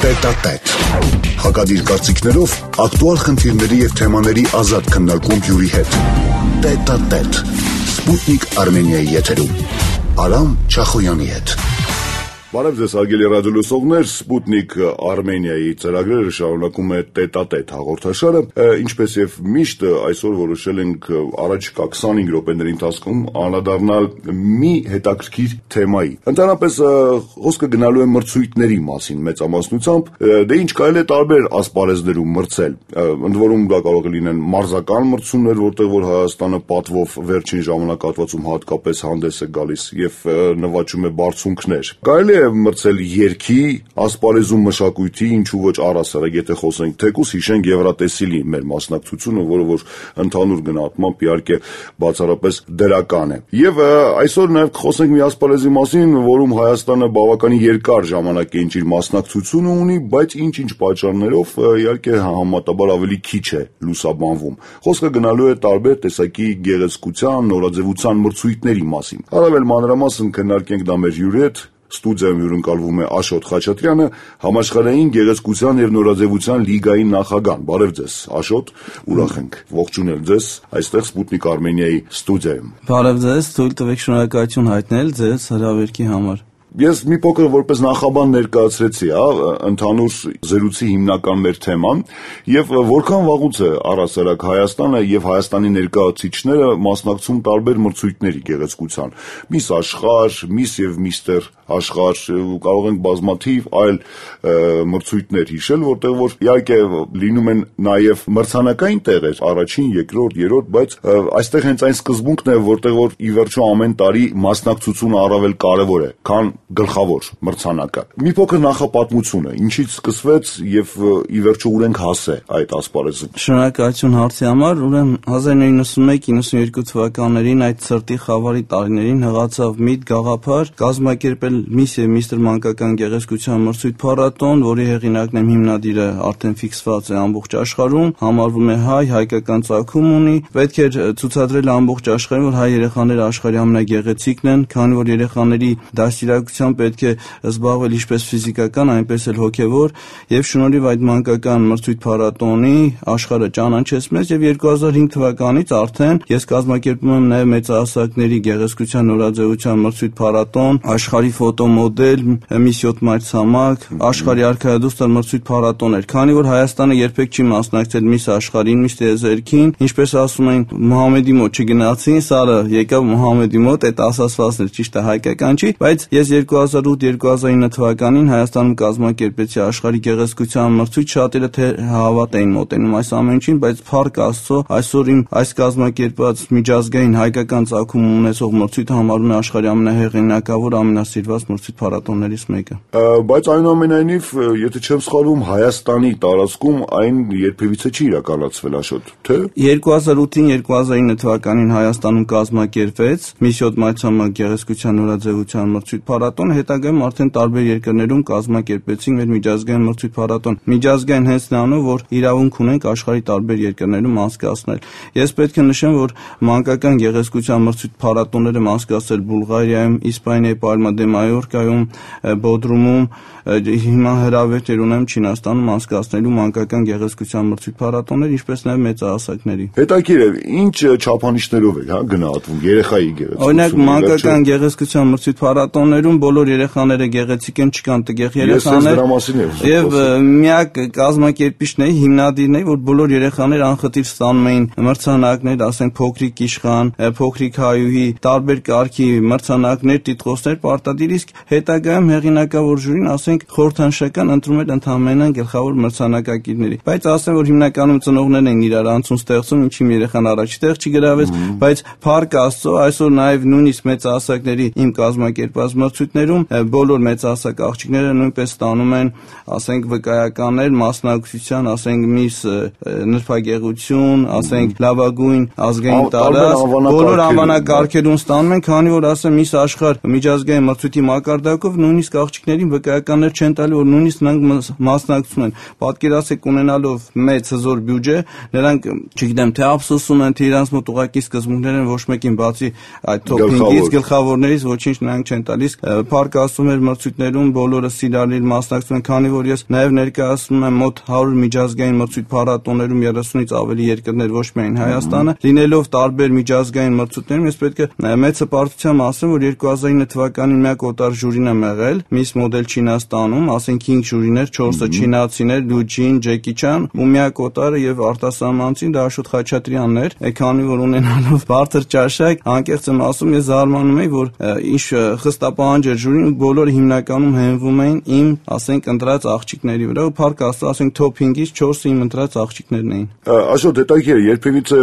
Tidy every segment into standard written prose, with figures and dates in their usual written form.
Տետատետ։ Հակադիր կարծիքներով ակտուալ խնդիրների և թեմաների ազատ քննարկում հյուրի հետ։ Տետատետ։ Սպուտնիկ Արմենիայի եթերում։ Արամ Չախոյանի հետ։ Բարև ձեզ հարգելի ռադիոլսողներ, Սպուտնիկ Արմենիայի ծրագրերը շարունակում է Տետատետ հաղորդաշարը, ինչպես եւ միշտ այսօր որոշել ենք առաջիկա 25 րոպեների ընթացքում անդրադառնալ մի հետաքրքիր թեմայի։ Ընդհանրապես խոսքը գնալու է մրցույթների մասին մեծամասնությամբ, դե ինչ կարելի է տարբեր ասպարեզներում մրցել։ Ընդ որում դա կարող է լինեն մարզական մրցումներ, որտեղ որ Հայաստանը պատվով վերջին ժամանակահատվածում հատկապես հանդես է գալիս եւ նվաճում է բարձունքներ։ Կարելի է մրցել երգի, ասպարեզում մշակույթի, ինչու ոչ առասարակ, եթե խոսենք թեկուզ հիշենք Եվրատեսիլի մեր մասնակցությունը, որը որ ընդհանուր գնահատմամբ իհարկե բացառապես դրական է։ Եվ այսօր նաև խոսենք մի ասպարեզի մասին, որում Հայաստանը բավականին երկար ժամանակ է իր մասնակցությունը ունի, բայց ինչ-ինչ պատճառներով իհարկե համեմատաբար ավելի քիչ է լուսաբանվում։ Խոսքը գնալու է տարբեր տեսակի գեղեցկության, նորաձևության մրցույթների մասին։ Առավել մանրամասն քննարկենք դա մեր հյուրի հետ։ Ստուդիայում հյուրընկալվում է Աշոտ Խաչատրյանը, համաշխարհային գեղեցկության եւ նորաձևության լիգայի նախագահ։ Բարև ձեզ, Աշոտ, ուրախ ենք ողջունել ձեզ այստեղ Սպուտնիկ Արմենիայի ստուդիայում։ Բարև ձեզ, թույլ տվեք շնորհակալություն հայտնել ձեզ հրավերքի համար։ Ես մի փոքր որպես նախաբան ներկայացրեցի, ընդհանուր զրույցի հիմնական մեր թեման եւ որքան վաղուց է առասարակ Հայաստանը եւ Հայաստանի ներկայացուցիչները մասնակցում տարբեր մրցույթների գեղեցկության։ Միս աշխարհ, միս եւ միստեր աշխարհ, կարող ենք բազմաթիվ այլ մրցույթներ հիշել, որտեղ որ իհարկե լինում են նաեւ մրցանակային տեղեր, առաջին, երկրորդ, երրորդ, բայց այստեղ հենց այն սկզբունքն է, որտեղ որ ի վերջո ամեն տարի մասնակցությունը առավել կարեւոր է, քան գլխավոր մրցանակը։ Մի փոքր նախապատմությունը, ինչից սկսվեց եւ ի վերջո ուր ենք հասել այդ ասպարեզում։ Շնորհակալություն հարցի համար, ուրեմն 1991-92 թվականներին այդ ցրտի խավարի տարիներին հղացավ միտք գաղափար կազմակերպել Միս եւ Միստր մանկական գեղեցկության մրցույթ փառատոն, որի հեղինակն եմ հիմնադիրը արդեն ֆիքսված է ամբողջ աշխարհում, համարվում է հայկական ծագում ունի, պետք էր ցուցադրել ամբողջ աշխարհին, որ հայ երեխաները աշխարհի ամենագեղեցիկն են, քանի որ երեխաների դաստիարակությամբ պետք է զբաղվել ինչպես ֆիզիկական, այնպես էլ հոգեվոր, եւ շնորհիվ այդ մանկական մրցույթ փառատոնի աշխարհը ճանաչեց մեզ եւ 2005 թվականից արդեն ես կազմակերպում եմ նաեւ մեծահասակների գեղեցկության նորաձևության մրցույթ փառատոն, աշխարհի ֆոտոմոդել, Միս 7 մայրցամաք, աշխարհի արքայադուստր մրցույթ փառատոներ, քանի որ Հայաստանը երբեք չի մասնակցել Միս աշխարհին, Միս տիեզերքին, ինչպես ասում են Մուհամեդի մոտ չգնացին, սարը եկավ Մուհամեդի մոտ, այդ ասացվածն է ճիշտ է հայկական չի, բայց ես 2008-2009 թվականին Հայաստանում կազմակերպեցի աշխարհի գեղեցկության մրցույթ, շատերը թե հավատ էին մոտենում այս ամենին, բայց փառք Աստծո, այսօր իմ այս կազմակերպած միջազգային հայկական ծագում ունեցող մրցույթը համարվում է աշխարհի ամենահեղինակավոր, ամենասիրված մրցույթ փառատոններից մեկը։ Բայց այնուամենայնիվ, եթե չեմ սխալվում, Հայաստանի տարածքում այն երբևիցե չի իրականացվել, Աշոտ, թե 2008-2009 թվականին Հայաստանում կազմակերպվեց Միս 7 մայրցամաք գեղեցկության նորաձևության մրցույթ փառատոն, հետագայում արդեն տարբեր երկրներում կազմակերպեցին մեր միջազգային մրցույթ փառատոն։ Միջազգային հենց նրանով, որ իրավունք ունենք աշխարհի տարբեր երկրներում անցկացնել։ Ես պետք է նշեմ, որ մանկական գեղեցկության մրցույթ փառատոնները անցկացել Բուլղարիայում, Իսպանիայի Պալմա դե Մայորկայում, Բոդրումում, հիմա հրավերներ ունեմ Չինաստանում անցկացնելու մանկական գեղեցկության մրցույթ փառատոններ, ինչպես նաև մեծահասակների։ Հետաքրքիր է, ինչ չափանիշներով է գնահատվում երեխայի գեղեցկությունը։ Օրինակ մանկական գեղեցկության մրցույթ փառատոններում բոլոր երեխաները գեղեցիկ են, չկան տգեղ երեխաներ։ Եվ միակ կազմակերպիչն է, հիմնադիրն է, որ բոլոր երեխաները անխտիր ստանում էին մրցանակներ, ասենք փոքրիկ իշխան, փոքրիկ հայուհի, տարբեր կարգի մրցանակներ, տիտղոսներ պարտադիր, իսկ հետագայում հեղինակավոր ժյուրին, ասենք խորհրդանշական ընտրում էր ընդհանրապես գլխավոր մրցանակակիրների։ Բայց ասեմ, որ հիմնականում ծնողներն են իրար անցուն ստեղծում, ինչի երեխան առաջի տեղ չի գրավեց, բայց փառք Աստծո, այսօր նաև նույնիսկ մեծահասակների իմ կազմակերպած մրցույթներում բոլոր մեծահասակ աղջիկները նույնպես ստանում են, ասենք վկայականներ, մասնակցության, ասենք Միս նրբագեղություն, ասենք լավագույն ազգային տարածք, բոլոր անվանակարգերում ստանում են, քանի որ ասեմ Միս աշխարհ միջազգային մրցույթի մակարդակով նույնիսկ աղջիկներին վկայականներ չեն տալի, որ նույնիսկ նրանք մասնակցում են։ Պատկերացեք, ունենալով մեծ հզոր բյուջե, նրանք, չգիտեմ, թե ափսոսում են, թե իրանց մոտ ուղղակի սկզբունքներ են, ոչ մեկին բացի այդ թոփինգից, գլխավորներից ոչինչ նրանք չեն տալիս։ Փառք Աստծո, մեր մրցույթներում բոլորը սիրալիր մասնակցում են, քանի որ ես նաև ներկայացնում եմ մոտ 100 միջազգային մրցույթ փառատոներում 30-ից ավելի երկրներ, ոչ միայն Հայաստանը, լինելով տարբեր միջազգային մրցույթներում, ես պետք է մեծ հպարտությամբ ասեմ, որ 2009 թվականին միակ օտար ժյուրին եմ եղել Miss Model Չինաստանում, ասենք 5 ժյուրիներ, 4-ը չինացիներ, Լուջին, Ջեկի Չան, ու միակ օտարը եւ արտասահմանցին դա Աշոտ Խաչատրյանն էր, քանի որ ունենալով բարձր ճաշակ, անկեղծ եմ ասում, ես զարմանում եի, որ ինչ խստապահանջ էր ժյուրին, բոլորը հիմնականում հենվում էին իմ, ասենք, ընտրած աղջիկների վրա, ու փառք Աստծո, ասենք, top 5-ից 4-ը իմ ընտրած աղջիկներն էին։ Աշոտ, հետաքրքիր, երբևիցե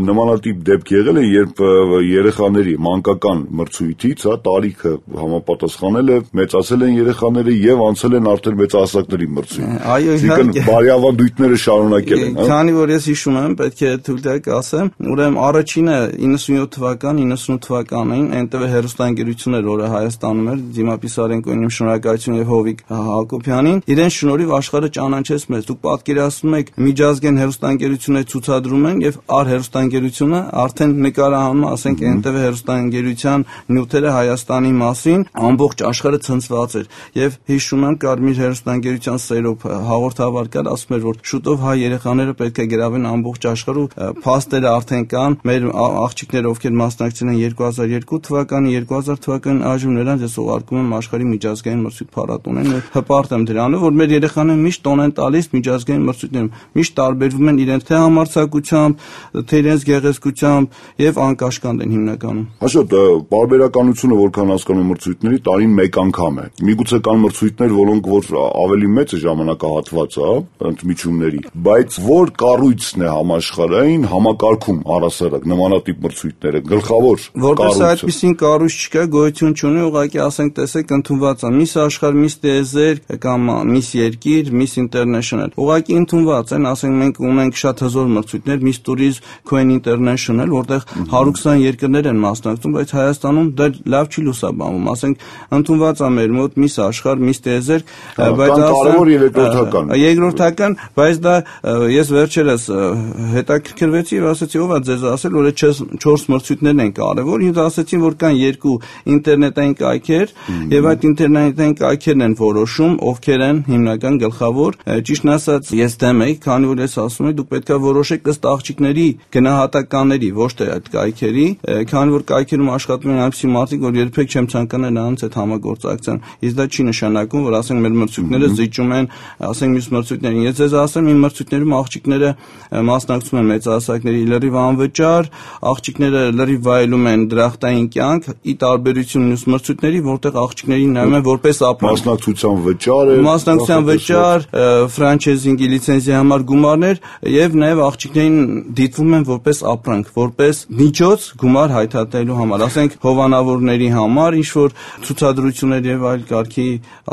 նմանատիպ դեպք եղել է, երբ երեխաների մանկական մրցույթից, տարիքը համապատասխանել է, մեծացել են երեխաները եւ անցել են արդեն մեծահասակների մրցույթ։ Այո, իհարկե։ Բարյավանդույթները շարունակել են, հա։ Քանի որ ես հիշում եմ, պետք է թույլ տեք ասեմ, ուրեմն առաջինը 97 թվական, 98 թվականին NTV հեռուստաընկերությունն էր, որը Հայաստանում էր, Դիմա Պիսարենկոյին շնորհակալություն եւ Հովիկ Հակոբյանին, իրեն շնորհիվ աշխարհը ճանաչեց մեզ։ Դուք պատկերացնում եք, միջազգային հեռուստաընկերությունները ցուցադրում են եւ առ հեռուստաընկերությունը արդեն նկարահանում, ասենք NTV հեռուստաընկերության նյութերը Հայաստանի մասին, ամբողջ աշխարհը ցնցված էր եւ հիշում եմ Կարմիր հեռուստաընկերության սերով հաղորդավար կար, ասում էր, որ շուտով հայ երեխաները պետք է գրավեն ամբողջ աշխարհում, փաստերը արդեն կան, մեր աղջիկները, ովքեր մասնակցել են 2002 թվականի, 2000 թվականին այժմ նրանց ես ուղարկում եմ աշխարհի միջազգային մրցույթ փառատոնին, հպարտ եմ դրանով, որ մեր երեխաները միշտ տոն են տալիս միջազգային մրցույթներում, միշտ տարբերվում են իրենց թե համարձակությամբ, թե իրենց գեղեցկությամբ եւ անկաշկանդ են հիմնականում։ Աշոտ, բարբերականությունը որքան հասկանում եմ մրցույթների տարին մեկ անգամ է։ Միգուցե կան մրցույթներ, որոնք որ ավելի մեծ է ժամանակահատվածը, ընդմիջումների, բայց որ կառույցն է համաշխարհային համակարգում առասարակ նմանատիպ մրցույթները գլխավոր որպես այդպիսին կառույց չկա, գոյություն չունի, ուղղակի ասենք տեսեք ընդունված է Miss Աշխարհ, Miss Տիեզերք կամ Miss Երկիր, Miss International, ուղղակի ընդունված են, ասենք մենք ունենք շատ հզոր մրցույթներ, Miss Tourism, Queen International, որտեղ 120 երկրներ են մասնակցում, բայց Հայաստանում դա լավ չի լուսաբանվում, ասենք ընդունված է մեր մոտ Miss Աշխարհ, Miss Տիեզերք, բայց կարևոր երկրորդական։ Երկրորդական, բայց դա ես վերջերս հետաքրքրվեցի եւ ասացի, ով է ձեզ ասել, որ այդ 4 մրցույթներն են կարևոր, ինձ ասացին, որ կան 2 ինտերնետային կայքեր եւ այդ ինտերնետային կայքերն են որոշում, ովքեր են հիմնական գլխավոր, ճիշտն ասած, ես դեմ եի, քանի որ ես ասում եմ, դուք պետք է որոշեք ըստ աղջիկների գնահատականների, ոչ թե այդ կայքերի, քանի որ կայքերում աշխատում են այնպիսի մարդիկ, որ երբեք չեմ ցանկանա նրանց հետ համագործակցեն։ Իսկ դա չի նշանակում, որ ասենք մեր մրցույթները զիջում են, ասենք մյուս մրցույթներին։ Ես ձեզ ասեմ, իմ մրցույթներում աղջիկները մասնակցում են մեծահասակների լրիվ անվճար, աղջիկները լրիվ վայելում են դրախտային կյանք, ի տարբերություն մյուս մրցույթների, որտեղ աղջիկներին նայում են որպես ապրանք։ Մասնակցության վճար է, մասնակցության վճար, ֆրանչայզինգի լիցենզիայի համար գումարներ եւ նաեւ աղջիկներին դիտվում են որպես ապրանք, որպես միջոց գումար հայթաթելու համար, ասենք հովանավորների համար, ինչ որ ցուցադրություններ եւ այլ կարգի,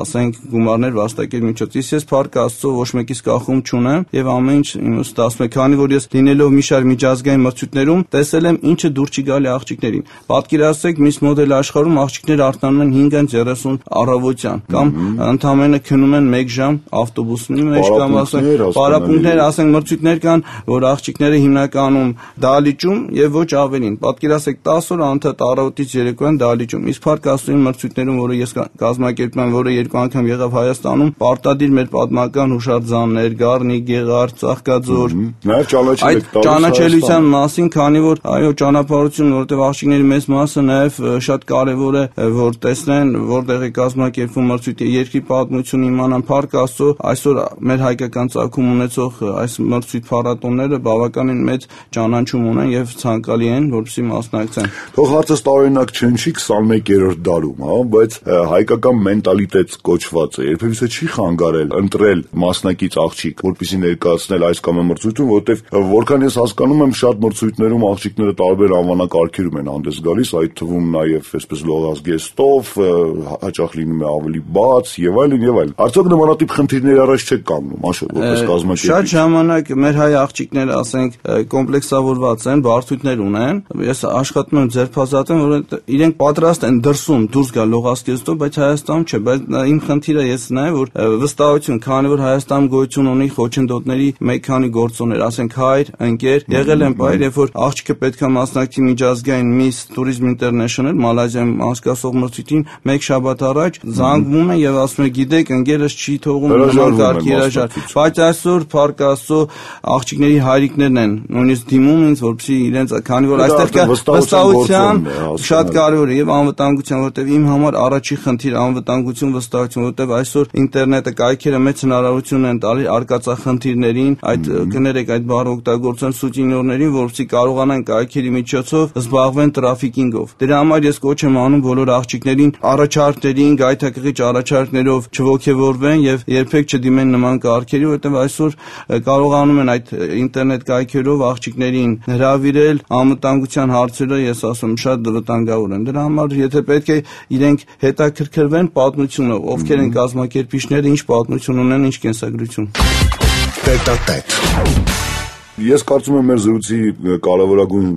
ասենք գումարներ վաստակել միջոց։ Ես փառք Աստծո ոչ մեկից կախում չունեմ եւ ամեն ինչ ինձ ստացվում է, քանի որ ես լինելով մի շարք միջազգային մրցույթներում տեսել եմ ինչը դուր չի գալի աղջիկներին։ Պատկերացրեք Miss Model աշխարհում աղջիկները արտանում են 5:30 առավոտյան կամ ընդամենը քնում են 1 ժամ ավտոբուսի մեջ կամ ասենք պարապմունքներ, ասենք մրցույթներ կան, որ աղջիկները հիմնականում դահլիճում եւ ոչ ավելին։ Պատկերացրեք 10 օր անընդհատ առավոտից երեկոյան դահլիճում։ Իսկ փառք Աստծո մրցույթներում, որը ես կազմակերպում եմ, որը 2 անգամ եղավ Հայաստանում, պարտադիր մեր պատմական հուշարձաններ, Գառնիկ, Գեղարդ, Ծաղկաձոր։ Նաև ճանաչել եք ճանաչելիության մասին, քանի որ այո, ճանապարհություն, որտեղ աղջիկների մեծ մասը նաև շատ կարևոր է, որ տեսնեն, որտեղ է կազմակերպվում մրցույթը, երկրի պատմություն իմանան, փառք Աստծո, այսօր մեր հայկական ծագում ունեցող այս մրցույթ փառատոնները բավականին մեծ ճանաչում ունեն եւ ցանկալի են, որպեսզի մասնակցեն։ Թող հարցը տարօրինակ չի 21-րդ դարում, հա, բայց հայկական մենտալիտետ կոչվածը երբևիցե չի խանգարել ընտրել մասնակից աղջիկ, որպեսզի ներկայացնել այս կամ այն մրցույթում, որովհետև որքան ես հասկանում եմ, շատ մրցույթներում աղջիկները տարբեր անվանակարգերում են հանդես գալիս, այդ թվում նաև այսպես լողազգեստով, հաճախ լինում է ավելի բաց եւ այլն եւ այլն։ Արդյոք նմանատիպ խնդիրների առաջ չեք կանգնում, Աշոտ, որպես կազմակերպիչ։ Շատ ժամանակ մեր հայ աղջիկները, ասենք, կոմպլեքսավորված են, բարդություններ ունեն։ Ես աշխատում եմ ձերբազատեմ, որ իրենք պատրաստ են դրսում դուրս գա լողասկեզով, բայց Հայաստանում չէ, բայց իմ խնդիրը ես նայեմ, որ վստահություն, քանի որ Հայաստանում գոյություն ունի խոչընդոտների մեկ քանի գործոններ, ասենք հայր, ընկեր, եղել են բայր, երբ որ աղջիկը պետք է մասնակցի միջազգային Miss Tourism International Մալազիայում անցկացող մրցույթին մեկ շաբաթ առաջ զանգվում է եւ ասում է գիտեք ընկերս չի թողում նման կարգ երաժար, բայց այսօր փառք Աստծո աղջիկների հայրիկներն են նույնիսկ դիմում ինձ որպեսզի իրենց քանի որ այստեղ կա վստահության շատ կարևոր է եւ անվտանգության, որտեւ իմ համար առաջի խնդիր անվտանգություն, վստահություն, որտեւ այսօր ինտերնետը կայքերը մեծ հնարավորություն են տալի արկածախնդիրներին, այդ կներեք այդ բառը օգտագործեն սուտինյորներին, որպեսզի կարողանան կայքերի միջոցով զբաղվեն տրաֆիկինգով։ Դրա համար ես կոչ եմ անում բոլոր աղջիկներին առաջարկներին, գայթակղիչ առաջարկներով չողոքեվորվեն եւ երբեք չդիմեն նման կարգերի, որտեւ այսօր կարողանում են այդ ինտերնետ կայքերով աղջիկներին հրավիրել, անվտանգության հարցերը ես ասում շատ վտանգավոր են։ Դրա համար եթե պետք է իրենք հետաքրքրվեն պատմությունը, ովքեր են կազմակերպիչները, ինչ պատմություն ունեն, ինչ կենսագրություն։ Տետատետ։ Ես կարծում եմ մեր զրույցի կարևորագույն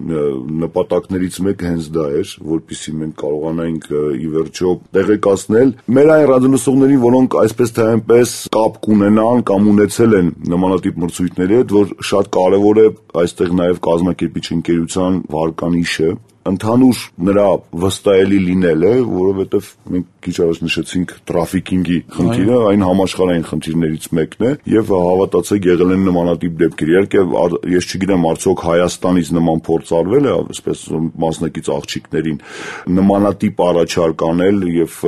նպատակներից մեկը հենց դա էր, որպեսզի մենք կարողանայինք ի վերջո տեղեկացնել մեր այն ռադիոլսողներին, որոնք այսպես թե այնպես կապ կունենան կամ ունեցել են նմանատիպ մրցույթների հետ, որ շատ կարևոր է այստեղ նաև կազմակերպիչ ընկերության վարկանիշը ընդհանուր նրա վստահելի լինելը, որովհետև մենք քիչ առաջ նշեցինք տրաֆիկինգի խնդիրը, այն համաշխարհային խնդիրներից մեկն է եւ հավատացեք եղել են նմանատիպ դեպքեր։ Իհարկե ես չգիտեմ արդյոք Հայաստանից նման փորձ արվել է, այսպես մասնակից աղջիկներին նմանատիպ առաջարկ անել եւ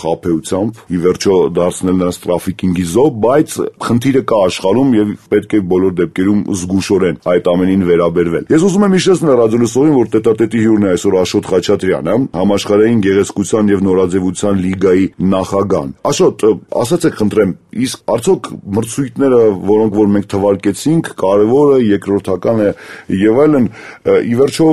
խաբեությամբ ի վերջո դարձնել նրանց տրաֆիկինգի զոհ, բայց խնդիրը կա աշխարհում եւ պետք է բոլոր դեպքերում զգուշորեն այդ ամենին վերաբերվել։ Ես ուզում եմ հիշեցնել ռադիոլսողին, որ տետատետի հյուրն է այսօր Աշոտ Խաչատրյանը, համաշխարհային գեղեցկության եւ նորաձևության լիգայի նախագահն։ Աշոտ, ասացեք խնդրեմ, իսկ արդյոք մրցույթները, որոնք որ մենք թվարկեցինք, կարևորը, երկրորդական է եւ այլն, ի վերջո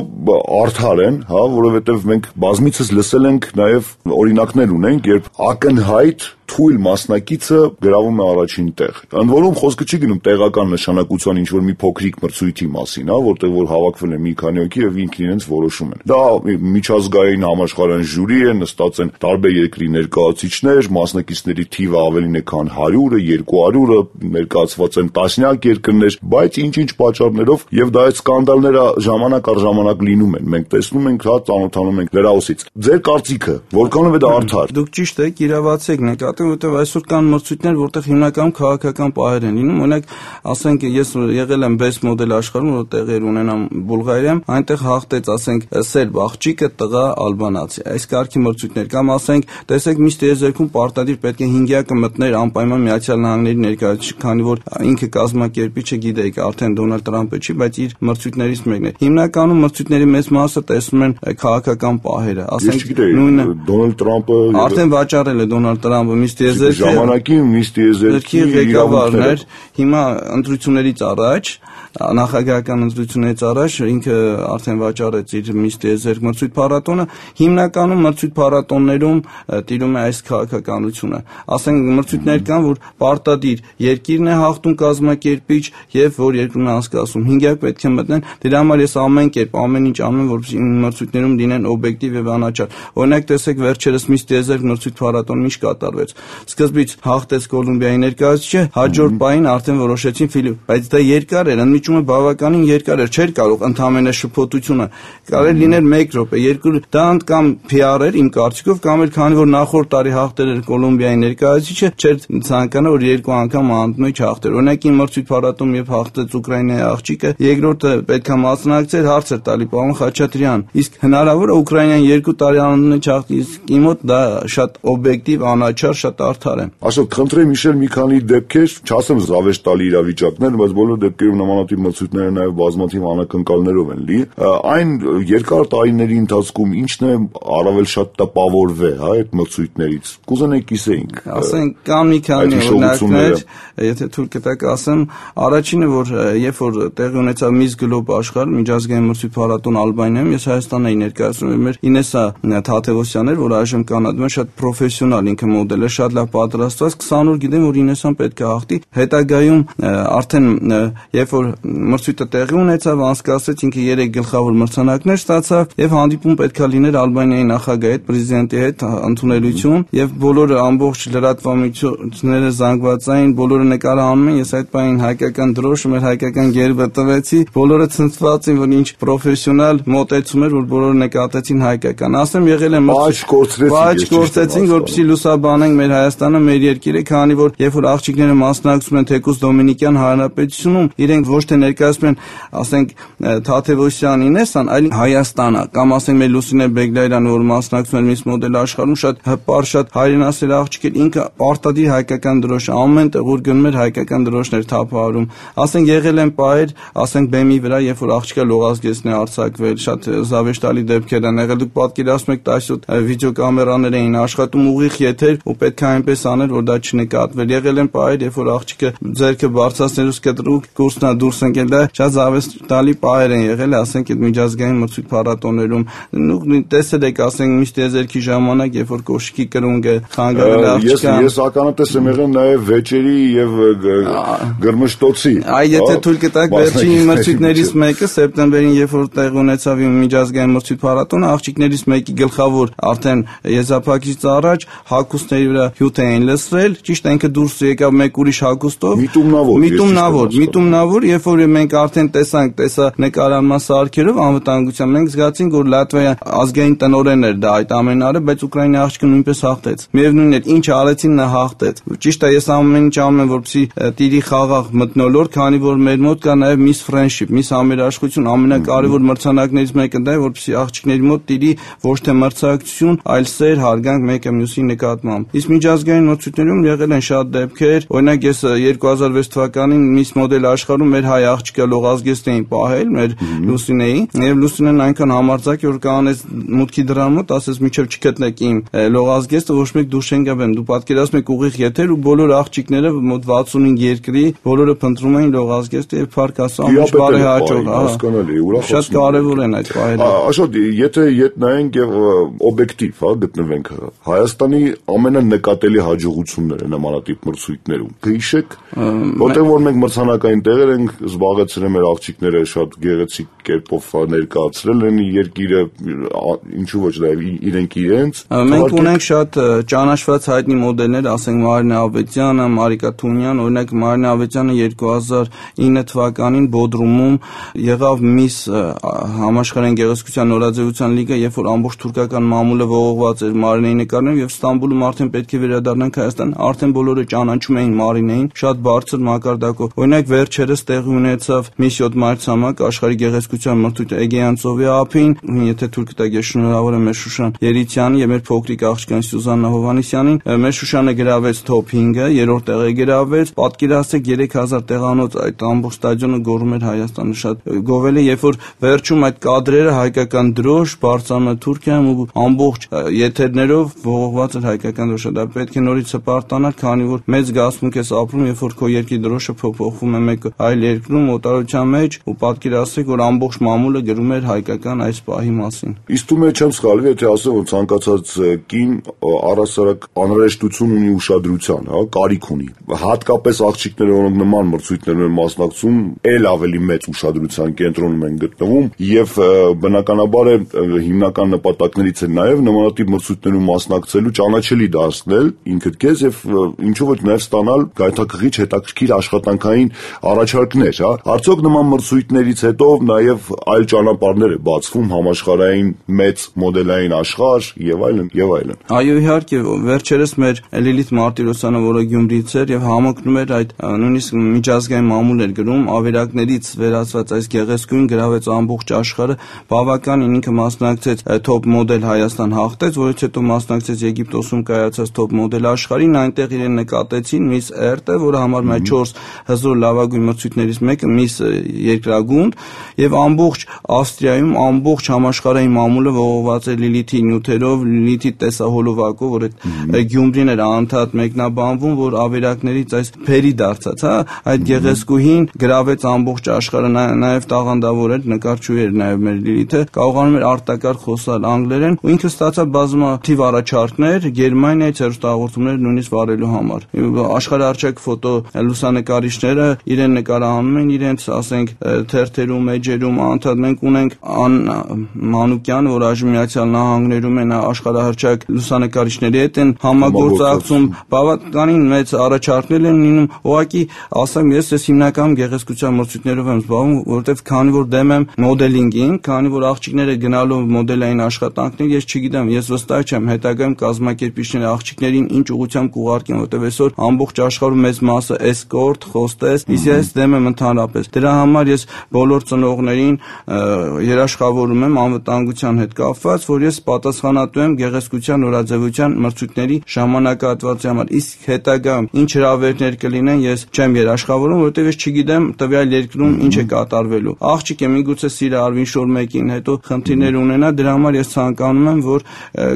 արդար են, հա, որովհետեւ մենք բազմիցս լսել ենք նաեւ օրինակներ ունենք, երբ ակնհայտ թույլ մասնակիցը գրավում է առաջին տեղ։ Ընդ որում խոսքը չի գնում տեղական նշանակության ինչ որ մի փոքրիկ մրցույթի մասին, հա, որտեղ որ հավաքվել է մի քանի հոգի եւ ինքն իրենց որոշում են։ Դա միջազգային համաշխարհային ժյուրի է, նստած են տարբեր երկրի ներկայացուցիչներ, մասնակիցների թիվը ավելին է քան 100-ը, 200-ը, ներկայացված են տասնյակ երկրներ, բայց ինչ-ինչ պատճառներով եւ դա այդ սկանդալները ժամանակ առ ժամանակ լինում են։ Մենք տեսնում ենք, հա, ծանոթանում ենք լրահոսից։ Ձեր կարծիքը, որքանով է դա արդար։ Դուք ճիշտ եք, իրավացեք, նկատեմ, որտեղ այսօր կան մրցույթներ, որտեղ հիմնականում քաղաքական պահեր են լինում։ Օրինակ, ասենք ես եղել եմ best model աշխարհում, որ տեղեր ունենամ Բուլղարիայում, այնտեղ հաղթեց, ասենք, սերբ աղջիկը, տղա ալբանացի։ Այս կարգի մրցույթներ կամ ասենք, տեսեք, միշտ տիեզերքում պարտադիր պետք է 5-յակը մտներ անպայման Միացյալ Նահանգների ներկայացուցիչ, քանի որ ինքը կազմակերպիչը գիտեք, արդեն Դոնալդ Տրամպը չի, բայց իր մրցույթներից մեկն է։ Հիմնականում մրցույթների մեծ մասը տեսնում են քաղաքական պահերը, ասենք, նույնը Դոնալդ Տրամպը արդեն վաճառել է Դոնալդ Տրամպը ժամանակի Miss Տիեզերքի ղեկավարներ, հիմա ընտրություններից առաջ նախագահական ընտրություններից առաջ ինքը արդեն վաճառեց իր Miss Տիեզերք մրցույթ փառատոնը, հիմնականում մրցույթ փառատոններում տիրում է այս քաղաքականությունը։ Ասենք մրցույթներ կան, որ պարտադիր երկիրն է հաղթում կազմակերպիչ եւ որ երկրում է անցկացում 5-յակ պետք է մտնեն, դրա համար ես ամեն կերպ ամեն ինչ անում եմ, որպեսզի մրցույթներում լինեն օբյեկտիվ եւ անաչառ։ Օրինակ տեսեք վերջերս Miss Տիեզերք մրցույթ փառատոնը ինչ կատարվեց։ Սկզբից հաղթեց Կոլումբիայի ներկայացուցիչը, հաջորդ պահին արդեն որոշեցին Ֆիլիպ, բայց դա երկար էր, ընդմիջումը բավականին երկար էր, չէր կարող ընդհանրապես շփոթությունը։ Կարելի լիներ 1 րոպե, 2, դա կամ PR էր իմ կարծիքով, կամ էլ քանի որ նախորդ տարի հաղթել էր Կոլումբիայի ներկայացուցիչը, չէր ցանկանա որ 2 անգամ անընդմեջ հաղթեր։ Օրինակ իմ մրցույթ փառատոնում եւ հաղթեց Ուկրաինայի աղջիկը, երկրորդը պետք է մասնակցեր, հարց էր տալի պարոն Խաչատրյան, իսկ հնարավոր է Ուկրաինան 2 տարի անընդմեջ հաղթի, իսկ իմ մոտ դա շատ օբյեկտիվ, անաչառ, շատ արդար է։ Աշոտ, խնդրեմ հիշել մի քանի դեպքեր, չասեմ զավեշտալի իրավիճակներ, բայց բոլոր դեպքերում նմանատիպ մրցույթները նաև բազմաթիվ անակնկալներով են լի։ Այն երկար տարիների ընթացքում ինչն է առավել շատ տպավորվել, հա, այդ մրցույթներից։ Կուզենայի կիսեինք։ Ասենք կան մի քանի օրինակներ, եթե թույլ կտաք ասեմ, առաջինը որ երբ որ տեղի ունեցավ Miss Globe աշխարհ միջազգային մրցույթ փառատոն Ալբանիայում, ես Հայաստանն էի ներկայացնում, մեր Ինեսա Թաթևոսյանն էր, որ այժմ Կանադայում է, շատ պրոֆեսիոնալ ինքը մոդել է, շատ լավ պատրաստված, 20 օր գիտեմ որ Ինեսան պետք է հաղթի։ Հետագայում արդեն երբ որ մրցույթը տեղի ունեցավ, անցկացրեց, ինքը 3 գլխավոր մրցանակներ ստացավ եւ հանդիպում պետքա լիներ Ալբանիայի նախագահի հետ, պրեզիդենտի հետ ընդունելություն եւ բոլորը ամբողջ լրատվամիջոցները զանգվածային, բոլորը նկարահանում են, ես այդ բանին հայկական դրոշը, մեր հայկական գերբը տվեցի, բոլորը ցնցված են, որ ինչ պրոֆեսիոնալ մոտեցում էր, որ բոլորը նկատեցին հայկական։ Ասեմ, եղել են Բաճ գործեցին, որպեսզի լուսաբանենք մեր Հայաստանը, մեր երկիրը, քանի որ երբ որ աղջիկները մասնակցում են թեկուզ Դոմինիկյան Հանրապետությունում, իրենք ոչ թե ներկայացնում են, ասենք, Թաթևոսյանին էսան, այլ Հայաստանը, կամ ասենք մեր Լուսինե Բեգլայրյանը, որ մասնակցում է Miss Model աշխարհում, շատ հպար, շատ հայրենասեր աղջիկ էր, ինքը պարտադիր հայկական դրոշ, ամեն տեղ որ գնում էր հայկական դրոշներ թափահարում։ Ասենք եղել են պահեր, ասենք բեմի վրա, երբ որ աղջիկը լողազգեստն է արձակվել, շատ զավեշտալի դեպքեր են եղել, դուք պատկերացնում եք 17 վիդեոկամերաներ էին աշխատում, ուղիղ եթեր, ու պետք է այնպես անել, որ դա չնկատվեր։ Եղել են պահեր, երբ որ աղջիկը ձեռքը բարձրացնելուց կտրուկ կուրսնա դուրս ընկել, դա շատ զավեշտալի պահեր են եղել, ասենք այդ միջազգային մրցույթ փառատոներում։ Տեսել եք, ասենք միշտ եզերքի ժամանակ, երբ որ կոշիկի կրունկը խանգարել աղջկան։ Ես ականատես եմ եղել նաև վեճերի եւ գրմշտոցի։ Եթե թույլ կտակ, վերջին մրցույթներից մեկը սեպտեմբերին, երբ որ տեղ ունեցավ միջազգային մրցույթ փառատոնը, աղջիկներից մեկի գլխավոր արդեն եզրափակիչից առաջ հագուստների վրա հյութ էին լցրել, ճիշտ ինքը դուրս եկավ մեկ ուրիշ հագուստով, միտումնավոր, երբ որ մենք արդեն տեսա նկարանման սարքերով անվտանգությամբ, մենք զգացինք, որ Լատվիա ազգային տնօրենն էր դա այդ ամենը, բայց Ուկրաինայի աղջիկը նույնպես հաղթեց։ Միևնույնն է, ինչ արեցին նա հաղթեց։ Ճիշտ է, ես ամեն ինչ անում եմ, որպեսզի տիրի խաղաղ մթնոլորտ, քանի որ մեր մոտ կա նաև Miss Friendship, Miss Համերաշխություն, ամենակարևոր մրցանակներից մեկը դա է, որպեսզի աղջիկների մոտ տիրի ոչ թե մրցակցություն, այլ սեր, հարգանք մեկը մյուսի նկատմամբ։ Իսկ միջազգային մրցույթներում եղել են շատ դեպքեր, օրինակ ես 2006 թվականին Miss Model աշխարհում մեր հայ աղջիկը լողազգեստ էին պահել, մեր Լուսինեի, եւ Լուսինեն այնքան համարձակ որ կանեց մուտքի դրան մոտ, ասես միջև չգտնեք իմ լողազգեստը, ոչ մեկ դուրս չեն գաբեմ։ Դու պատկերացնում եք ուղիղ եթեր ու բոլոր աղջիկները մոտ 65 երկրի բոլորը փնտրում էին լողազգեստը եւ փառք Աստծո ամբողջ բարեհաճող, շատ կարեւոր են այդ պահերը։ Աշոտ, եթե նայենք եւ օբյեկտիվ, գտնվենք Հայաստանի ամենանկատելի հաջողությունները նմանատիպ մրցույթներում, կհիշեք, որտեղ որ մենք մրցանակային տեղեր ենք զբաղեցրել, մեր աղջիկները շատ գեղեցիկ կերպով ներկայացրել են երկիրը, ինչու ոչ դա իրենց։ Մենք ունենք շատ ճանաչված հայտնի մոդելներ, ասենք Մարինա Ավետյանը, Մարիկա Թունյան, օրինակ Մարինա Ավետյանը 2009 թվականին Բոդրումում եղավ Miss համաշխարհային գեղեցկության նորաձևության լիգա, երբ որ ամբողջ թուրքական մամուլը ողողված էր Մարինեի նկարներով եւ Ստամբուլում արդեն պետք է վերադառնանք Հայաստան, արդեն բոլորը ճանաչում էին Մարինեին, շատ բարձր մակարդակով։ Օրինակ վերջերս տեղի ունեցավ Miss 7 մայրցամաք աշխարհի գեղեցկության մրցույթը Էգեյան ծովի ափին, եթե թուրք տակ ես շնորհավոր եմ մեր Շուշան Երիցյանի եւ մեր փոքրիկ աղջկան Սյուզաննա Հովհաննիսյանին, մեր Շուշանը գրավեց top 5-ը, երրորդ տեղը գրավեց, պատկերացրեք 3000 տեղանոց այդ ամբողջ ստադիոնը գոռում էր Հայաստանը, շատ գովել է, երբ որ վերջում այդ կադրերը հայկական դրոշ բարձրանում է Թուրքիայում ու ամբողջ եթերներով ողողված էր հայկական դրոշը, դա պետք է նորից հպարտանալ, քանի որ մեծ զգացմունք ես ապրում, երբ որ քո երկրի դրոշը փոփոխվում է մեկ այլ երկրում օտարության մեջ ու պատկերացրեք, որ ամբողջ մամուլը գրում էր հայկական այս պահի մասին։ Իսկ դու մեջ չեմ սխալվի, եթե ասեմ, որ ցանկացած կին առասարակ անհրաժեշտություն ունի ուշադրության, կարիք ունի։ Հատկապես աղջիկները, որոնք նման մրցույթներում են մասնակցում, ել ավելի մեծ ուշադրության կենտրոնում են գտնվում եւ բնականաբար է հիմնական նպատակներից է նաեւ նմանատիպ մրցույթներում մասնակցելու ճանաչելի դարձնել ինքդ քեզ եւ ինչու ոչ նաեւ ստանալ գայթակղիչ հետաքրքիր աշխատանքային առաջարկներ, Արդյոք նման մրցույթներից հետո նաեւ այլ ճանապարհներ է բացվում համաշխարհային մեծ մոդելային աշխարհ եւ այլն եւ այլն։ Այո, իհարկե, վերջերս մեր Լիլիթ Մարտիրոսյանը, որը Գյումրիից էր եւ համընկնում էր այդ նույնիսկ միջազգային մամուլ էր գրում, ավերակներից վերածված այս գեղեցկույն գրավեց ամբողջ աշխարհը, բավականին ինքը մասնակցեց top model Հայաստան հաղթեց, որից հետո մասնակցեց Եգիպտոսում կայացած top model աշխարհին, այնտեղ իրեն նկատեցին Miss Earth-ը, որը համարվում է 4 հզոր լավագույն մրցույթներից մեկը, Miss Երկրագունդ, եւ ամբողջ Ավստրիայում ամբողջ համաշխարհային մամուլը ողողված էր Լիլիթի նյութերով, Լիլիթի տեսահոլովակով, որ այդ Գյումրին էր անդադ մեկնաբանվում, որ ավերակներից այս փերի դարձած, այդ գեղեցկուհին գրավեց ամբողջ աշխարհը, նաեւ տաղանդավոր էր, նկարչուհի էր նաեւ մեր Լիլիթը, կարողանում էր արտակարգ խոսալ անգլերեն, ու ինքը ստացավ բազմաթիվ առաջարկներ Գերմանիայից հեռուստահաղորդումներ նույնիսկ վարելու համար։ Աշխարհարչակ ֆոտո լուսանկարիչները իրեն նկարահանում վերցնում են իրենց, ասենք, թերթերում, էջերում, անդադ մենք ունենք Մանուկյան, որ այժմ Միացյալ Նահանգներում են աշխարհահռչակ լուսանկարիչների հետ են համագործակցում, բավականին մեծ առաջարկներ են լինում, ուղղակի ասեմ, ես հիմնականում գեղեցկության մրցույթներով եմ զբաղվում, որովհետև քանի որ դեմ եմ մոդելինգին, քանի որ աղջիկները գնալով մոդելային աշխատանքներ, ես չգիտեմ, ես վստահ չեմ հետագայում կազմակերպիչները աղջիկներին ինչ ուղղությամբ կուղարկեն, որովհետև այսօր ամբողջ աշխարհում մեծ մասը էսկորտ, հոստես, իսկ ես դեմ եմ ընդհանրապես։ Դրա համար ես բոլոր ծնողներին երաշխավորում եմ անվտանգության հետ կապված, որ ես պատասխանատու եմ գեղեցկության նորաձևության մրցույթների ժամանակահատվածի համար։ Իսկ հետագայում ինչ հրավերներ կլինեն, ես չեմ երաշխավորում, որովհետև ես չգիտեմ տվյալ երկրում ինչ է կատարվելու։ Աղջիկը միգուցե սիրը արվին շոր մեկին, հետո խնդիրներ ունենա, դրա համար ես ցանկանում եմ, որ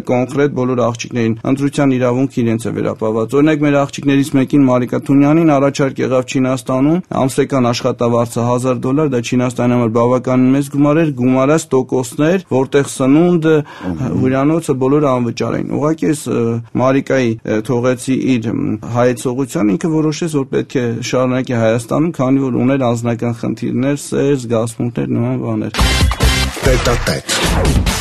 կոնկրետ բոլոր աղջիկներին ընտրության իրավունք իրենց է վերապահված։ Օրինակ մեր աղջիկներից մեկին Մարիկա Թունյանին առաջարկ եղավ Չինաստանում, ամսական աշխատավարձը $1000, դա Չինաստանի համար բավականին մեծ գումար էր, գումարած տոկոսներ, որտեղ սնունդը, հյուրանոցը բոլորը անվճար էին։ Ուղղակի ես Մարիկայի թողեցի իր հայեցողության, ինքը որոշեց, որ պետք է շարունակի Հայաստանում, քանի որ ուներ անձնական խնդիրներ, սեր, զգացմունքներ, նման բաներ։ Տետատետ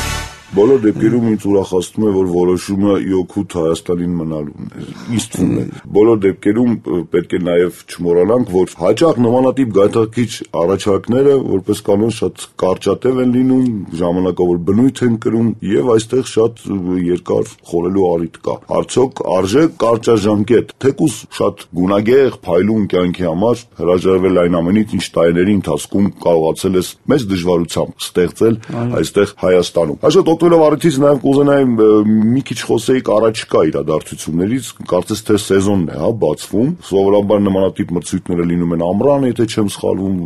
Բոլոր դեպքերում ինձ ուրախացնում է, որ որոշումը իօքուտ Հայաստանին մնալուն է։ Ինձ թվում է։ Բոլոր դեպքերում պետք է նաև չմոռանանք, որ հաճախ նմանատիպ գայթակղիչ առաջարկները որպես կանոն շատ կարճատև են լինում, ժամանակավոր բնույթ են կրում եւ այստեղ շատ երկար խորելու առիթ կա։ Արդյոք արժե կարճաժամկետ, թեկուզ շատ գունագեղ, փայլուն կյանքի համար հրաժարվել այն ամենից, ինչ տարիների ընթացքում կարողացել ես մեծ դժվարությամբ ստեղծել այստեղ Հայաստանում։ Այսօր օգտվելով առիթից նաև կուզենայի մի քիչ խոսեիք առաջկա իրադարձություններից, կարծես թե սեզոնն է, բացվում։ Սովորաբար նմանատիպ մրցույթները լինում են ամռան, եթե չեմ սխալվում,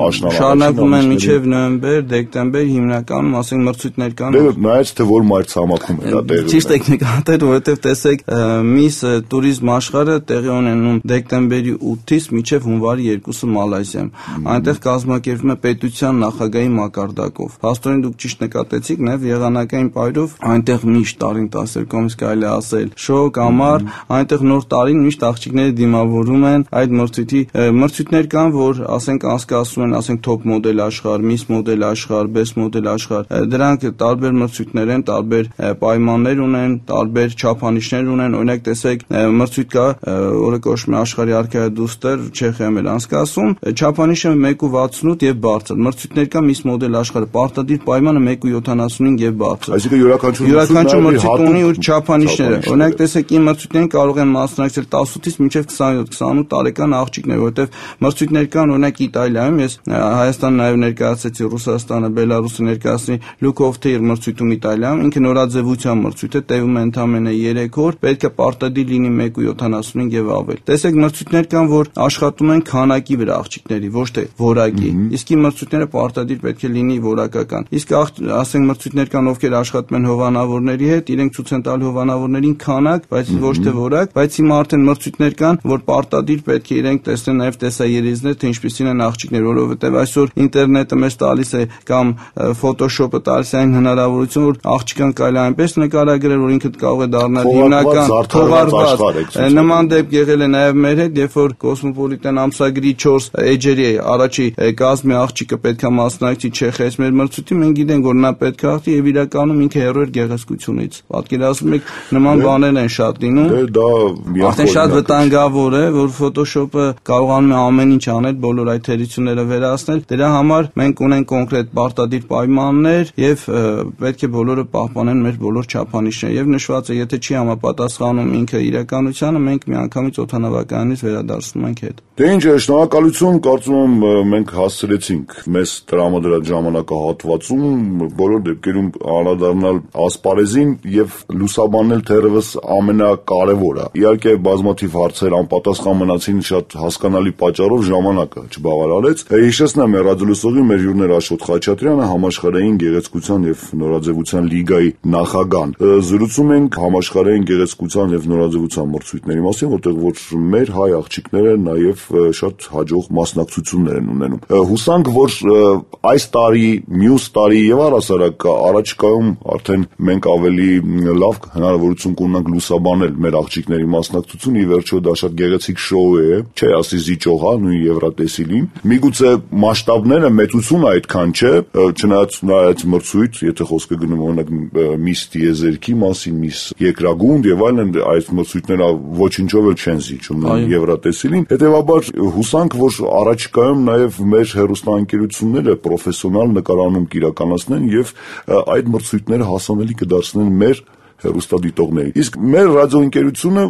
աշնան։ Շարունակվում են մինչև նոյեմբեր, դեկտեմբեր, հիմնականում, ասենք մրցույթներ կան։ Դե նայած թե որ մայրցամաքում է դա տեղի։ Ճիշտ եք նկատել, որովհետև տեսեք, Miss Tourism աշխարհը տեղի ունենում դեկտեմբերի 8-ից մինչև հունվարի 2-ը Մալայզիայում։ Այնտեղ կազմակերպվում է պետության նախագահի մակարդակով։ Փաստորեն դուք ճիշտ նկատեցիք, նաև եղանակային պայրով այնտեղ միշտ տարին 12-ից կարելի ասել շոկ, ամառ, այնտեղ նոր տարին միշտ աղջիկները դիմավորում են այդ մրցույթներ կան, որ ասենք անցկացնում են, ասենք top մոդել աշխարհ, Miss մոդել աշխարհ, best մոդել աշխարհ, դրանք տարբեր մրցույթներ են, տարբեր պայմաններ ունեն, տարբեր չափանիշներ ունեն, օրինակ տեսեք մրցույթ կա, որը կոչվում է աշխարհի արքայադուստր, Չեխիայում է անցկացում, չափանիշը 1.68 եւ բարձր, մրցույթներ կա Miss մոդել աշխարհը, պարտադիր պայմանը 1.75 եւ բարձր։ Այսինքն յուրաքանչյուր մրցույթ ունի իր չափանիշները։ Օրինակ տեսեք, իմ մրցույթներին կարող են մասնակցել 18-ից մինչև 27-28 տարեկան աղջիկներ, որովհետև մրցույթներ կան, օրինակ Իտալիայում, ես Հայաստան նաև ներկայացեցի, Ռուսաստանը, Բելարուսը ներկայացնի Look of Tear մրցույթում Իտալիայում, ինքը նորաձևության մրցույթ է, տևում է ընդամենը 3 օր, պետք է պարտադիր լինի 1.75 եւ ավել։ Տեսեք, մրցույթներ կան, որ աշխատում են քանակի վրա աղջիկների, ոչ թե որակի։ Իսկ իմ մրցույթները պարտադիր պետք է լինի որակական։ Իսկ ասենք մրցույթներ կան, ովքեր աշխատում են հովանավորների հետ, իրենք ցույց են տալ հովանավորներին քանակ, բայց ոչ թե որակ, բայց հիմա արդեն մրցույթներ կան, որ պարտադիր պետք է իրենք տեսնեն նաև տեսաերիզներ, թե ինչպիսին են աղջիկներ, որովհետև այսօր ինտերնետը մեզ տալիս է կամ Photoshop-ը տալիս է այն հնարավորություն, որ աղջիկան կարելի է այնպես նկարագրել, որ ինքը կարող է դառնալ հիմնական թողարկված։ Նման դեպք եղել է նաև մեր հետ, երբ որ Cosmopolitan ամսագրի 4 էջերի առաջի կազմի աղջիկը պետք է մասնակցի Չեխիայից մեր մրցույթին, մենք գիտենք, որ նա պետք է աղթի եւ իրականում ինքը հերո էր գեղեցկությունից։ Պատկերացնում եք, նման բաներ են շատ լինում։ Դա արդեն շատ վտանգավոր է, որ Photoshop-ը կարողանում է ամեն ինչ անել, բոլոր այդ թերությունները վերացնել։ Դրա համար մենք ունենք կոնկրետ պարտադիր պայմաններ եւ պետք է բոլորը պահպանեն մեր բոլոր չափանիշները։ Եվ նշված է, եթե չի համապատասխանում ինքը իրականությանը, մենք միանգամից օդանավականից վերադարձնում ենք հետ։ Դե ինչ է, շնորհակալություն, կարծում եմ մենք հասցրեցինք մեզ տրամադրած ժամանակահատվածում բոլոր դեպքերում անդրադառնալ ասպարեզին եւ լուսաբանել թերևս ամենակարևորը։ Իհարկե բազմաթիվ հարցեր անպատասխան մնացին շատ հասկանալի պատճառով ժամանակը չբավարարեց։ Հիշեցնեմ ռադիոլուսողի մեր հյուրն Աշոտ Խաչատրյանը, համաշխարհային գեղեցկության եւ նորաձևության լիգայի նախագահն։ Զրուցում ենք համաշխարհային գեղեցկության եւ նորաձևության մրցույթների մասին, որտեղ որ մեր հայ աղջիկները նաեւ շատ հաջող մասնակցություններ են ունենում։ Հուսանք, որ այս տարի, մյուս տարի եւ առհասարակ առաջկա ապագայում արդեն մենք ավելի լավ հնարավորություն կունենանք լուսաբանել մեր աղջիկների մասնակցությունը, ի վերջո դա շատ գեղեցիկ շոու է, չէ, ասի զիջող, հա, նույն Եվրատեսիլին։ Միգուցե մասշտաբները մեծությունը այդքան չէ, չնայած նա այդ մրցույթ, եթե խոսքը գնում օրինակ Միս Տիեզերքի մասին, Միս Երկրագունդ եւ այլն, այդ մրցույթները ոչինչով էլ չեն զիջում Եվրատեսիլին։ Հետևաբար հուսանք, որ առաջիկայում նաեւ մեր հեռուստաընկերությունները պրոֆեսիոնալ նկարահանում կիրականացնեն եւ այդ մրցույթները հասանելի կդարձնեն մեր հեռուստադիտողներին։ Իսկ մեր ռադիոընկերությունը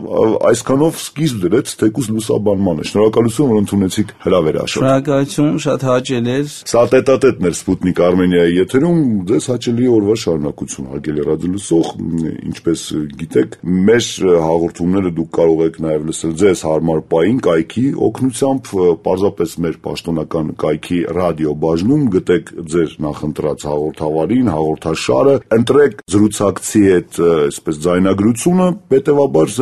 այսքանով սկիզբ դրեց թեկուզ լուսաբանմանը։ Շնորհակալություն, որ ընդունեցիք հրավերը Աշոտ։ Շնորհակալություն, շատ հաճելի էր։ Սա տետատետն էր Սպուտնիկ Արմենիայի եթերում, ձեզ հաճելի օրվա շարունակություն, հարգելի ռադիոլսող, ինչպես գիտեք, մեր հաղորդումները դուք կարող եք նաև լսել ձեզ հարմար պահին կայքի օգնությամբ, պարզապես մեր պաշտոնական կայքի ռադիո բաժնում գտեք ձեր նախընտրած հաղորդավարին, հաղորդաշարը, ընտրեք զրուցակցի հետ այսպես ձայնագրությունը, հետևաբար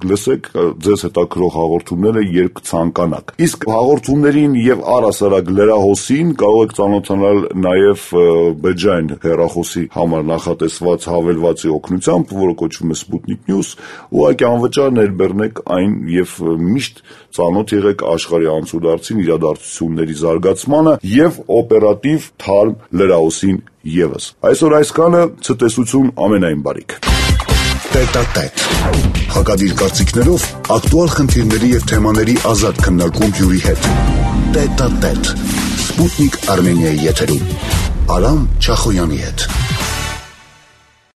լսեք ձեզ հետաքրող հաղորդումները երբ ցանկանաք։ Իսկ հաղորդումներին եւ առասարակ լրահոսին կարող եք ծանոթանալ նաեւ բջջային հեռախոսի համար նախատեսված հավելվածի օգնությամբ, որը կոչվում է Sputnik News, ուղղակի անվճար ներբեռնեք այն եւ միշտ ծանոթ եղեք աշխարհի անցուդարձին, իրադարձությունների զարգացմանը եւ օպերատիվ թարմ լրահոսին եւս։ Այսօր այսքանը, ցտեսություն, ամենայն բարիք։ Տետատետ։ Հակադիր կարծիքներով ակտուալ խնդիրների եւ թեմաների ազատ քննարկում հյուրի հետ։ Տետատետ։ Sputnik Armenia եթերում Արամ Չախոյանի հետ։